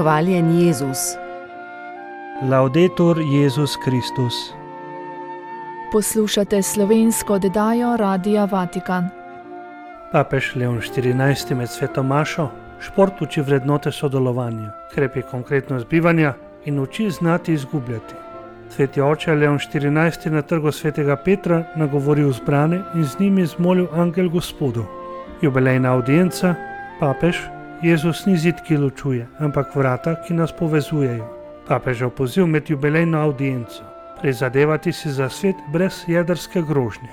Hvaljen Jezus. Laudetur Jezus Kristus. Poslušate slovensko oddajo Radia Vatikan. Papež Leon XIV med sveto mašo šport uči vrednote sodelovanja, krepi konkretnost bivanja in uči znati izgubljati. Sveti oče Leon XIV na trgu svetega Petra nagovoril zbrane in z njimi zmolil angel Gospodu. Jubilejna avdienca, papež, Jezus ni zid, ki ločuje, ampak vrata, ki nas povezujejo. Papežev poziv med jubilejno avdienco: prizadevati si za svet brez jedrske grožnje.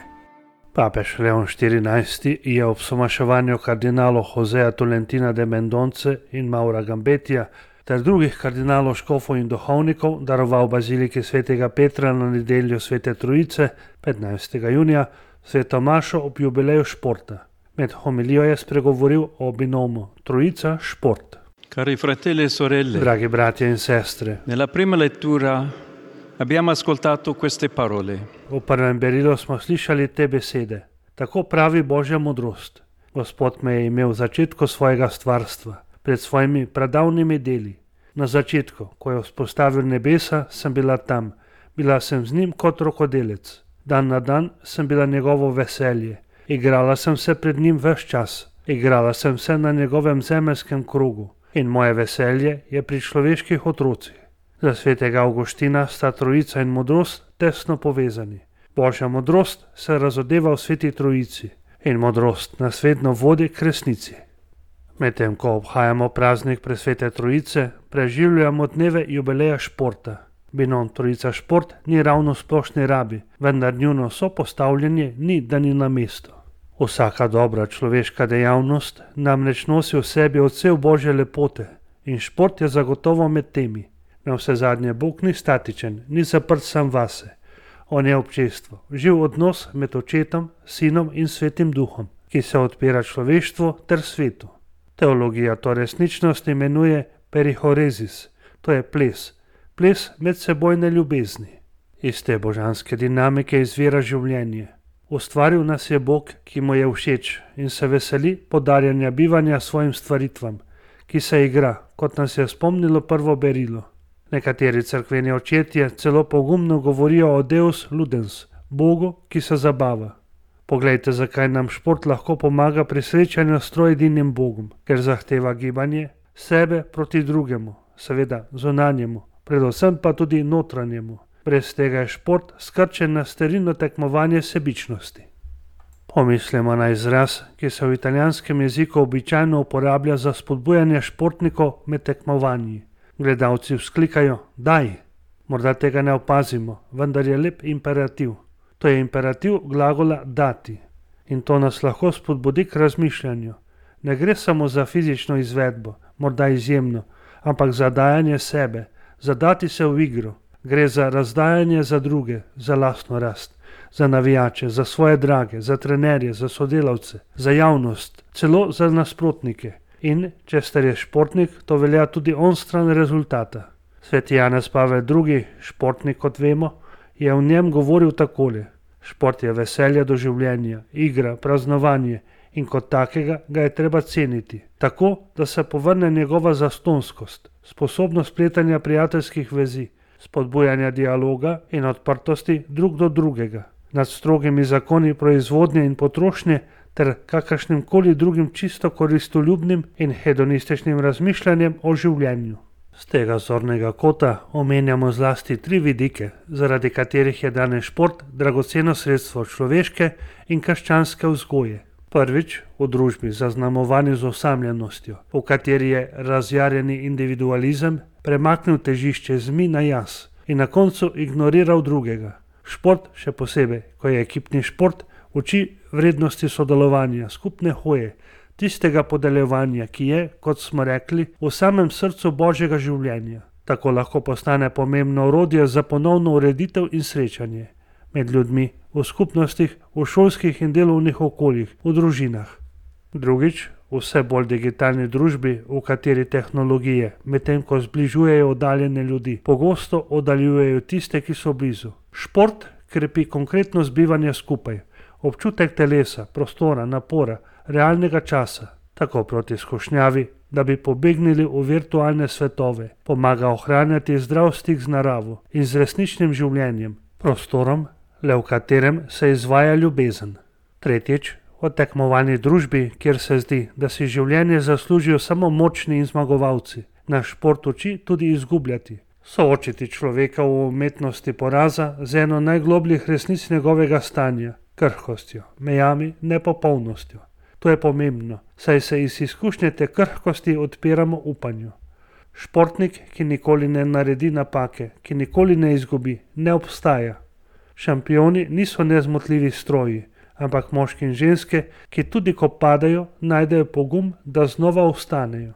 Papež Leon XIV je ob somaševanju kardinalov Joseja Tolentina de Mendonce in Maura Gambetija ter drugih kardinalov, škofov in duhovnikov daroval baziliki svetega Petra na nedeljo Svete Trojice, 15. junija, sveto mašo ob jubileju športa. Med homilijo je spregovoril o binomu Trojica-šport. Cari fratelli e sorelle, Dragi bratje in sestre, nella prima lettura abbiamo ascoltato queste parole. v prvem berilu smo slišali te besede. Tako pravi Božja modrost. Gospod me je imel v začetku svojega stvarstva, pred svojimi pradavnimi deli. Na začetku, ko je vzpostavil nebesa, sem bila tam. Bila sem z njim kot rokodelec. Dan na dan sem bila njegovo veselje. Igrala sem se pred njim ves čas. Igrala sem se na njegovem zemeljskem krogu. In moje veselje je pri človeških otrocih. Za svetega Avguština sta trojica in modrost tesno povezani. Božja modrost se razodeva v sveti trojici in modrost nas vedno vodi k resnici. Medtem ko obhajamo praznik presvete trojice, preživljamo dneve jubileja športa. Binom Trojica šport ni ravno splošni rabi, vendar njuno sopostavljanje ni, da ni na mestu. Vsaka dobra človeška dejavnost namreč nosi v sebi odsev Božje lepote in šport je zagotovo med temi. Navsezadnje Bog ni statičen, ni zaprt sam vase. On je občestvo, živ odnos med očetom, sinom in svetim duhom, ki se odpira človeštvu ter svetu. Teologija to resničnost imenuje perihorezis, to je ples medsebojne ljubezni. Iz te božanske dinamike izvira življenje. Ustvaril nas je Bog, ki mu je všeč in se veseli podarjanja bivanja svojim stvaritvam, ki se igra, kot nas je spomnilo prvo berilo. Nekateri cerkveni očetje celo pogumno govorijo o Deus ludens, Bogu, ki se zabava. Poglejte, zakaj nam šport lahko pomaga pri srečanju s troedinim Bogom, ker zahteva gibanje sebe proti drugemu, seveda zunanjemu, predvsem pa tudi notranjemu. Brez tega je šport skrčen na sterilno tekmovanje sebičnosti. Pomislimo na izraz, ki se v italijanskem jeziku običajno uporablja za spodbujanje športnikov med tekmovanji. Gledalci vzklikajo: daj! Morda tega ne opazimo, vendar je lep imperativ. To je imperativ glagola dati. In to nas lahko spodbudi k razmišljanju. Ne gre samo za fizično izvedbo, morda izjemno, ampak za dajanje sebe, za dati se v igro. Gre za razdajanje za druge, za lastno rast, za navijače, za svoje drage, za trenerje, za sodelavce, za javnost, celo za nasprotnike. In, če ste res športnik, to velja tudi onstran rezultata. Sveti Janez Pavel II, športnik kot vemo, je v njem govoril takole: šport je veselje do življenja, igra, praznovanje in kot takega ga je treba ceniti, tako da se povrne njegova zastonskost, sposobnost pletanja prijateljskih vezi, spodbujanja dialoga in odprtosti drug do drugega, nad strogimi zakoni proizvodnje in potrošnje ter kakršnim koli drugim čisto koristoljubnim in hedonističnim razmišljanjem o življenju. Z tega zornega kota omenjamo zlasti 3 vidike, zaradi katerih je danes šport dragoceno sredstvo človeške in krščanske vzgoje. Prvič, v družbi zaznamovani z osamljenostjo, v kateri je razjarjeni individualizem premaknil težišče z mi na jaz in na koncu ignoriral drugega. Šport, še posebej, ko je ekipni šport, uči vrednosti sodelovanja, skupne hoje, tistega podeljevanja, ki je, kot smo rekli, v samem srcu Božjega življenja. Tako lahko postane pomembno orodje za ponovno ureditev in srečanje med ljudmi, v skupnostih, v šolskih in delovnih okoljih, v družinah. Drugič, v vse bolj digitalni družbi, v kateri tehnologije, medtem ko zbližujejo oddaljene ljudi, pogosto oddaljujejo tiste, ki so blizu. Šport krepi konkretnost bivanja skupaj, občutek telesa, prostora, napora, realnega časa, tako proti skušnjavi da bi pobegnili v virtualne svetove, pomaga ohranjati zdrav stik z naravo in z resničnim življenjem, prostorom, le v katerem se izvaja ljubezen. Tretjič, v tekmovalni družbi, kjer se zdi, da si življenje zaslužijo samo močni in zmagovalci, naš šport uči tudi izgubljati. Soočiti človeka v umetnosti poraza z eno najglobljih resnic njegovega stanja, krhkostjo, mejami, nepopolnostjo. To je pomembno, saj se iz izkušnje te krhkosti odpiramo upanju. Športnik, ki nikoli ne naredi napake, ki nikoli ne izgubi, ne obstaja. Šampioni niso nezmotljivi stroji, ampak moški in ženske, ki tudi ko padajo, najdejo pogum, da znova vstanejo.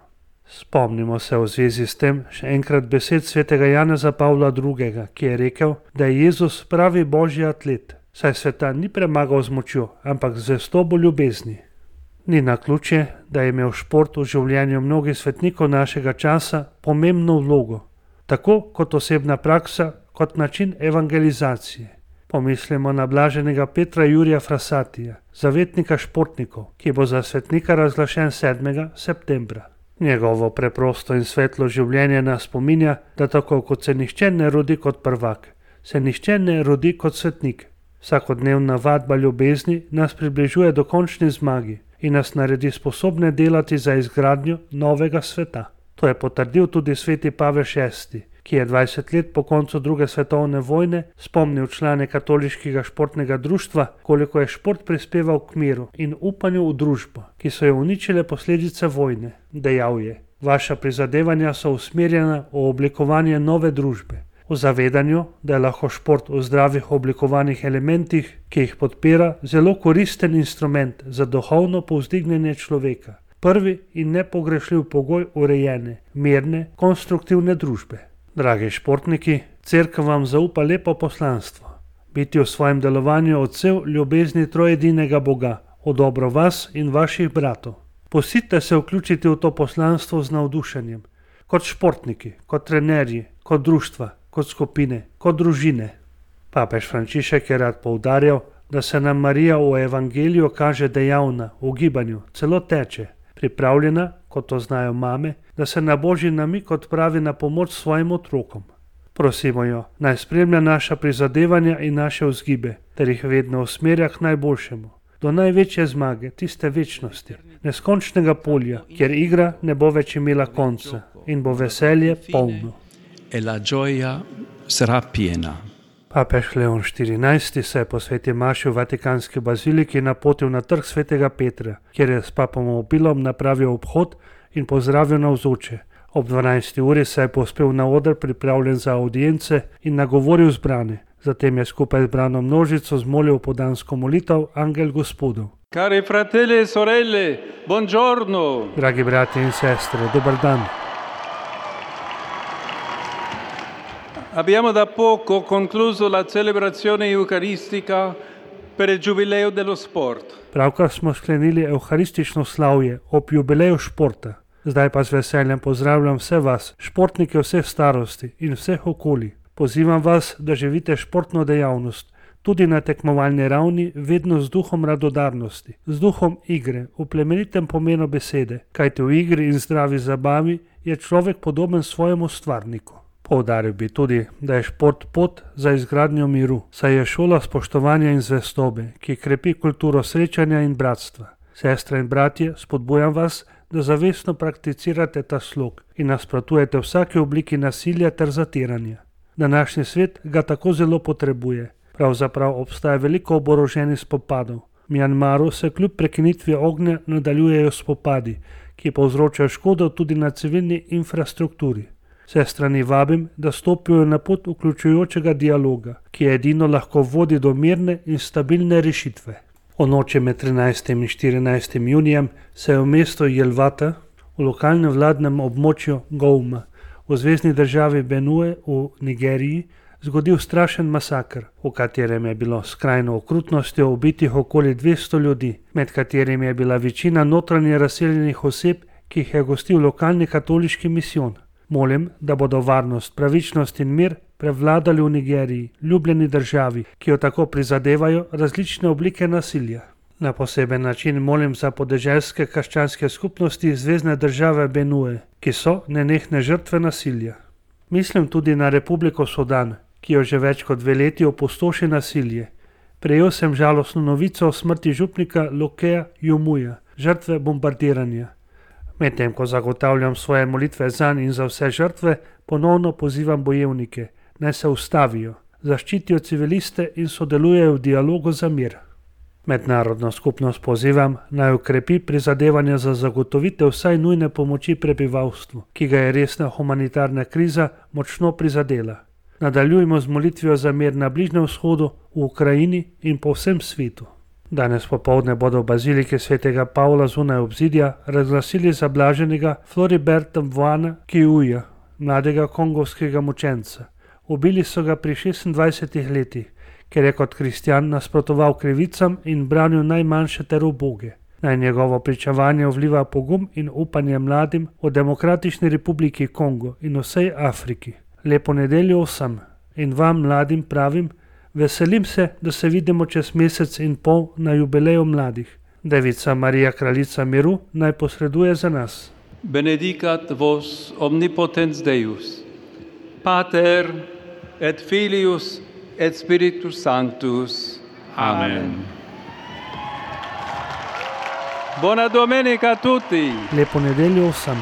Spomnimo se v zvezi s tem še enkrat besed svetega Janeza Pavla II., ki je rekel, da je Jezus pravi božji atlet, saj sveta ni premagal z močjo, ampak z zvestobo ljubezni. Ni naključje, da je imel šport v življenju mnogih svetnikov našega časa pomembno vlogo, tako kot osebna praksa, kot način evangelizacije. Pomislimo na blaženega Petra Jurija Frassatija, zavetnika športnikov, ki bo za svetnika razglašen 7. septembra. Njegovo preprosto in svetlo življenje nas spominja, da tako kot se nihče ne rodi kot prvak, se nihče ne rodi kot svetnik. Vsakodnevna vadba ljubezni nas približuje do končni zmagi in nas naredi sposobne delati za izgradnjo novega sveta. To je potrdil tudi sveti Pavel VI., ki je 20 let po koncu druge svetovne vojne spomnil člane katoliškega športnega društva, koliko je šport prispeval k miru in upanju v družbo, ki so jo uničile posledice vojne. Dejal je: vaša prizadevanja so usmerjena v oblikovanje nove družbe, v zavedanju, da je lahko šport v zdravih oblikovanih elementih, ki jih podpira, zelo koristen instrument za duhovno povzdignjenje človeka, prvi in nepogrešljiv pogoj urejene, mirne, konstruktivne družbe. Dragi športniki, Cerkev vam zaupa lepo poslanstvo: biti v svojem delovanju odsev ljubezni trojedinega Boga, v dobro vas in vaših bratov. Pustite se vključiti v to poslanstvo z navdušenjem, kot športniki, kot trenerji, kot društva, kot skupine, kot družine. Papež Frančišek je rad poudarjal, da se nam Marija v evangeliju kaže dejavna, v gibanju, celo teče, pripravljena, kot to znajo mame, da se na božji namig odpravi na pomoč svojim otrokom. Prosimo jo, naj spremlja naša prizadevanja in naše vzgibe, ter jih vedno usmerja k najboljšemu, do največje zmage, tiste večnosti, neskončnega polja, kjer igra ne bo več imela konca in bo veselje polno. E la gioia sarà piena. Papež Leon XIV. Se je po sveti maši v Vatikanski baziliki napotil na trg svetega Petra, kjer je s papom Mobilom napravil obhod in pozdravil navzoče. Ob 12. uri se je povzpel na oder pripravljen za audience in nagovoril zbrane. Zatem je skupaj z zbrano množico zmolil podansko molitev Angel Gospodov. Cari fratelli e sorelle, buongiorno! Dragi brati in sestre, dober dan. Abbiamo da poco concluso la celebrazione eucaristica per il Giubileo dello Sport. Pravkar smo sklenili evharistično slavje ob jubileju športa. Zdaj pa z veseljem pozdravljam vse vas, športnike vseh starosti in vseh okolij. Pozivam vas, da živite športno dejavnost, tudi na tekmovalni ravni, vedno z duhom radodarnosti, z duhom igre, v plemenitem pomenu besede, kajte v igri in zdravi zabavi je človek podoben svojemu stvarniku. Poudaril bi tudi, da je šport pot za izgradnjo miru, saj je šola spoštovanja in zvestobe, ki krepi kulturo srečanja in bratstva. Sestre in bratje, spodbujam vas, da zavestno prakticirate ta slog in nasprotujete vsaki obliki nasilja ter zatiranja. Današnji svet ga tako zelo potrebuje. Pravzaprav obstaja veliko oboroženih spopadov. V Mjanmaru se kljub prekinitvi ognja nadaljujejo spopadi, ki povzročajo škodo tudi na civilni infrastrukturi. Vse strani vabim, da stopijo na pot vključujočega dialoga, ki edino lahko vodi do mirne in stabilne rešitve. O noči med 13. in 14. junijem se je v mestu Jelvata, v lokalnem vladnem območju Gouma, v zvezni državi Benue v Nigeriji, zgodil strašen masakr, v katerem je bilo s skrajno okrutnostjo ubitih okoli 200 ljudi, med katerimi je bila večina notranje razseljenih oseb, ki jih je gostil lokalni katoliški misijon. Molim, da bodo varnost, pravičnost in mir prevladali v Nigeriji, ljubljeni državi, ki jo tako prizadevajo različne oblike nasilja. Na poseben način molim za podeželske krščanske skupnosti Zvezne države Benue, ki so nenehne žrtve nasilja. Mislim tudi na Republiko Sudan, ki jo že več kot 2 leti opustoši nasilje. Prejel sem žalostno novico o smrti župnika Lokeja Jumuja, žrtve bombardiranja. Medtem ko zagotavljam svoje molitve zanj in za vse žrtve, ponovno pozivam bojevnike, naj se ustavijo, zaščitijo civiliste in sodelujejo v dialogu za mir. Mednarodno skupnost pozivam, naj ukrepi prizadevanja za zagotovitev vsaj nujne pomoči prebivalstvu, ki ga je resna humanitarna kriza močno prizadela. Nadaljujmo z molitvijo za mir na Bližnjem vzhodu, v Ukrajini in po vsem svetu. Danes popoldne bodo v baziliki svetega Pavla zunaj obzidja razglasili za blaženega Floriberta Mvana Kiuja, mladega kongovskega mučenca. Ubili so ga pri 26 letih, ker je kot kristjan nasprotoval krivicam in branil najmanjše ter uboge. Naj njegovo pričevanje vliva pogum in upanje mladim v Demokratični republiki Kongo in vsej Afriki. Lepo nedeljo vsem in vam mladim pravim, veselim se, da se vidimo čez mesec in pol na jubileju mladih. Devica Marija, kraljica miru, naj posreduje za nas. Benedicat vos omnipotens Deus, Pater et Filius et Spiritus Sanctus. Amen. Buona domenica a tutti. Lepo nedeljo vsem.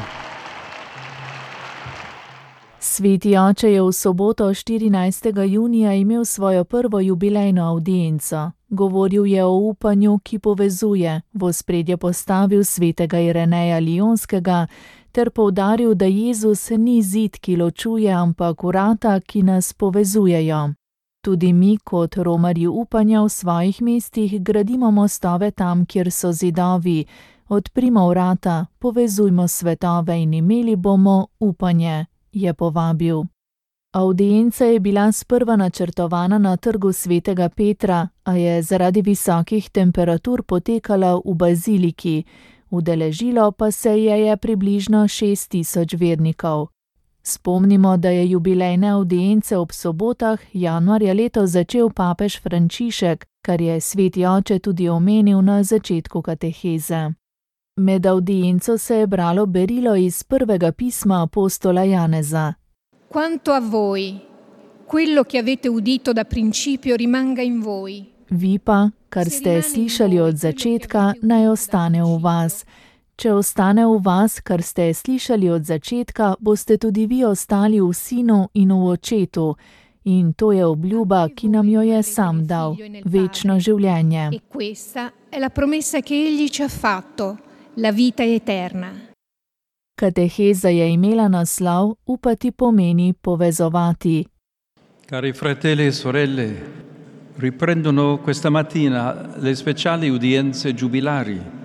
Sveti oče je v soboto 14. junija imel svojo prvo jubilejno avdienco. Govoril je o upanju, ki povezuje, v ospredje postavil svetega Ireneja Lionskega ter poudaril, da Jezus ni zid, ki ločuje, ampak vrata, ki nas povezujejo. Tudi mi kot romarji upanja v svojih mestih gradimo mostove tam, kjer so zidovi. Odprimo vrata, povezujmo svetove in imeli bomo upanje, je povabil. Avdienca je bila sprva načrtovana na trgu svetega Petra, a je zaradi visokih temperatur potekala v baziliki, udeležilo pa se je približno 6000 vernikov. Spomnimo, da je jubilejne avdience ob sobotah januarja letos začel papež Frančišek, kar je sveti oče tudi omenil na začetku kateheze. Med avdienco se je bralo berilo iz prvega pisma apostola Janeza. Quanto a voi, quello che avete udito da principio rimanga in voi. Vi pa, kar ste slišali od začetka, naj ostane v vas. Če ostane v vas, kar ste slišali od začetka, boste tudi vi ostali v Sinu in v Očetu. In to je obljuba, ki nam jo je sam dal, večno življenje. E questa è la promessa che egli ci ha fatto, la vita eterna. Kateheza je imela naslov Upati pomeni povezovati. Cari fratelli e sorelle, riprendono questa mattina le speciali udienze giubilari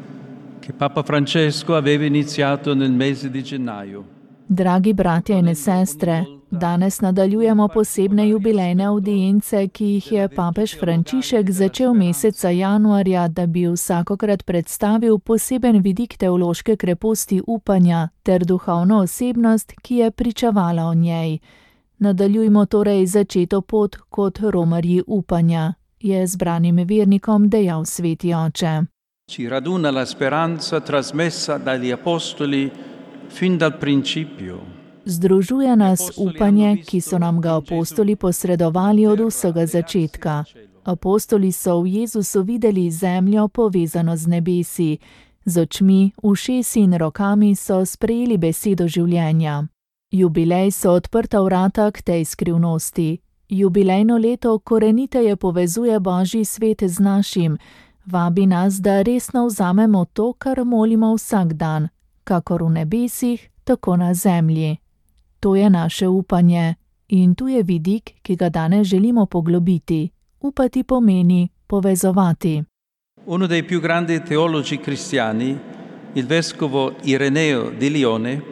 che Papa Francesco aveva iniziato nel mese di gennaio. Dragi bratje in sestre, danes nadaljujemo posebne jubilejne avdience, ki jih je papež Frančišek začel meseca januarja, da bi vsakokrat predstavil poseben vidik teološke kreposti upanja ter duhovno osebnost, ki je pričevala o njej. Nadaljujmo torej začeto pot kot romarji upanja, je zbranim vernikom dejal sveti oče. Ci raduna la speranza trasmessa dagli apostoli fin dal principio. Združuje nas upanje, ki so nam ga apostoli posredovali od vsega začetka. Apostoli so v Jezusu videli zemljo povezano z nebesi. Z očmi, ušesi in rokami so sprejeli besedo življenja. Jubilej so odprta vrata k tej skrivnosti. Jubilejno leto koreniteje povezuje Božji svet z našim. Vabi nas, da resno vzamemo to, kar molimo vsak dan, kakor v nebesih, tako na zemlji. To je naše upanje in tu je vidik, ki ga danes želimo poglobiti. Upati pomeni povezovati. Uno dei più grandi teologi cristiani, il vescovo Ireneo di Lione,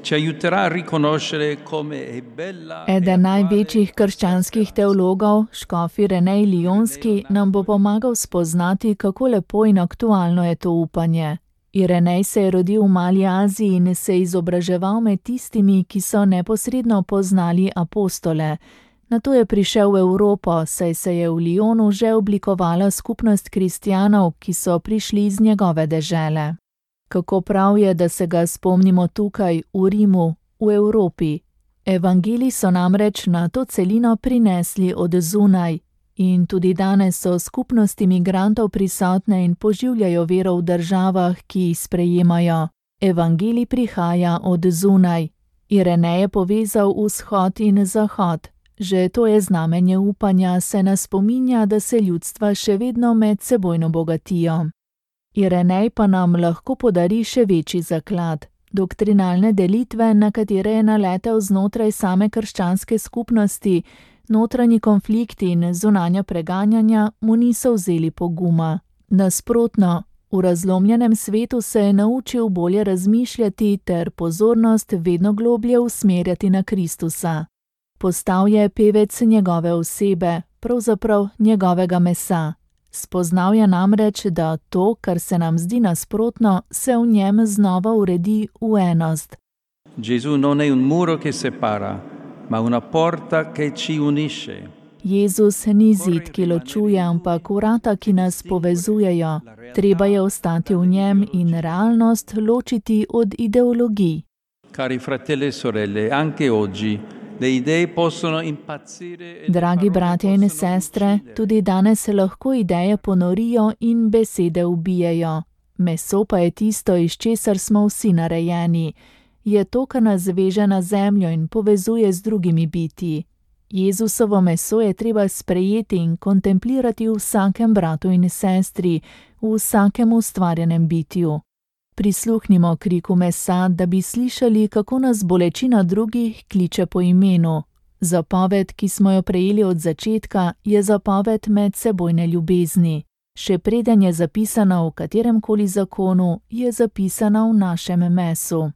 ci aiuterà a riconoscere come è bella. Eden največjih krščanskih teologov, škof Irenej Lionski, nam bo pomagal spoznati, kako lepo in aktualno je to upanje. Irenej se je rodil v Mali Aziji in se izobraževal med tistimi, ki so neposredno poznali apostole. Nato je prišel v Evropo, saj se je v Lyonu že oblikovala skupnost kristjanov, ki so prišli iz njegove dežele. Kako prav je, da se ga spomnimo tukaj, v Rimu, v Evropi. Evangeliji so namreč na to celino prinesli od zunaj in tudi danes so skupnosti migrantov prisotne in poživljajo vero v državah, ki jih sprejemajo. Evangelij prihaja od zunaj. Irenej je povezal vzhod in zahod. Že to je znamenje upanja, se nas spominja, da se ljudstva še vedno medsebojno bogatijo. Irenej pa nam lahko podari še večji zaklad. Doktrinalne delitve, na katere je naletel znotraj same krščanske skupnosti, notranji konflikti in zunanja preganjanja mu niso vzeli poguma. Nasprotno, v razlomljenem svetu se je naučil bolje razmišljati ter pozornost vedno globlje usmerjati na Kristusa. Postal je pevec njegove osebe, pravzaprav njegovega mesa. Spoznal je namreč, da to, kar se nam zdi nasprotno, se v njem znova uredi v enost. Gesù non è un muro che separa, ma una porta che ci unisce. Jezus ni zid, ki ločuje, ampak vrata, ki nas povezujejo. Treba je ostati v njem in realnost ločiti od ideologij. Cari fratelli e sorelle, anche oggi le idee possono impazzire. Dragi bratje in sestre, tudi danes se lahko ideje ponorijo in besede ubijejo. Meso pa je tisto, iz česar smo vsi narejeni. Je to, kar nas veže na zemljo in povezuje z drugimi bitji. Jezusovo meso je treba sprejeti in kontemplirati v vsakem bratu in sestri, v vsakem ustvarjenem bitju. Prisluhnimo kriku mesa, da bi slišali, kako nas bolečina drugih kliče po imenu. Zapoved, ki smo jo prejeli od začetka, je zapoved medsebojne ljubezni. Še preden je zapisana v kateremkoli zakonu, je zapisana v našem mesu.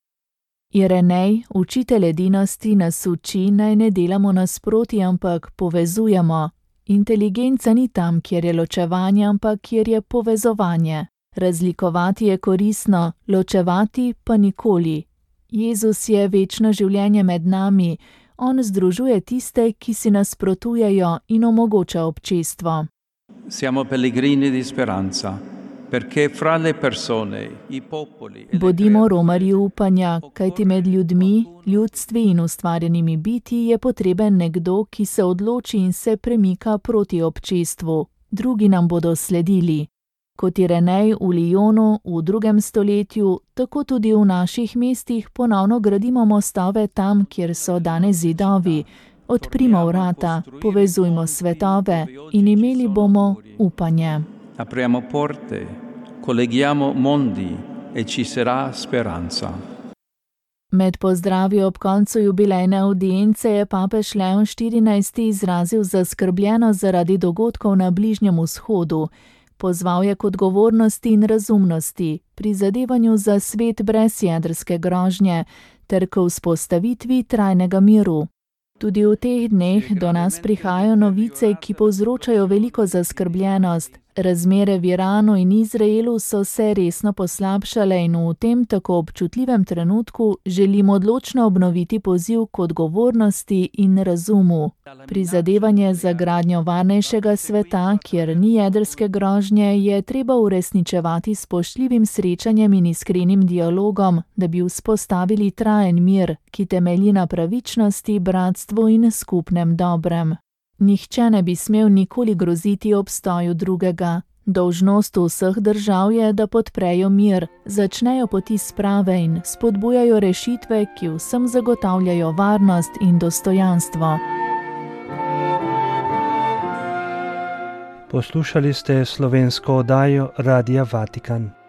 Irenej, učitelj edinosti, nas uči, naj ne delamo nasproti, ampak povezujemo. Inteligenca ni tam, kjer je ločevanje, ampak kjer je povezovanje. Razlikovati je koristno, ločevati pa nikoli. Jezus je večno življenje med nami. On združuje tiste, ki si nasprotujejo in omogoča občestvo. Siamo pellegrini di speranza, perché fra le persone, i popoli. Bodimo romarji upanja, kajti med ljudmi, ljudstvi in ustvarjenimi bitji je potreben nekdo, ki se odloči in se premika proti občestvu. Drugi nam bodo sledili. Kot Irenej v Lyonu v 2. stoletju, tako tudi v naših mestih ponovno gradimo mostove tam, kjer so danes zidovi. Odprimo vrata, povezujmo svetove in imeli bomo upanje. Apriamo porte, colleghiamo mondi e ci sarà speranza. Med pozdravi ob koncu jubilejne avdience je papež Leon XIV. Izrazil zaskrbljenost zaradi dogodkov na Bližnjem vzhodu. Pozval je k odgovornosti in razumnosti, prizadevanju za svet brez jedrske grožnje ter k vzpostavitvi trajnega miru. Tudi v teh dneh do nas prihajajo novice, ki povzročajo veliko zaskrbljenost. Razmere v Iranu in Izraelu so se resno poslabšale in v tem tako občutljivem trenutku želim odločno obnoviti poziv k odgovornosti in razumu. Prizadevanje za gradnjo varnejšega sveta, kjer ni jedrske grožnje, je treba uresničevati s spoštljivim srečanjem in iskrenim dialogom, da bi vzpostavili trajen mir, ki temelji na pravičnosti, bratstvu in skupnem dobrem. Nihče ne bi smel nikoli groziti obstoju drugega. Dolžnost vseh držav je, da podprejo mir, začnejo poti sprave in spodbujajo rešitve, ki vsem zagotavljajo varnost in dostojanstvo. Poslušali ste slovensko oddajo Radia Vatikan.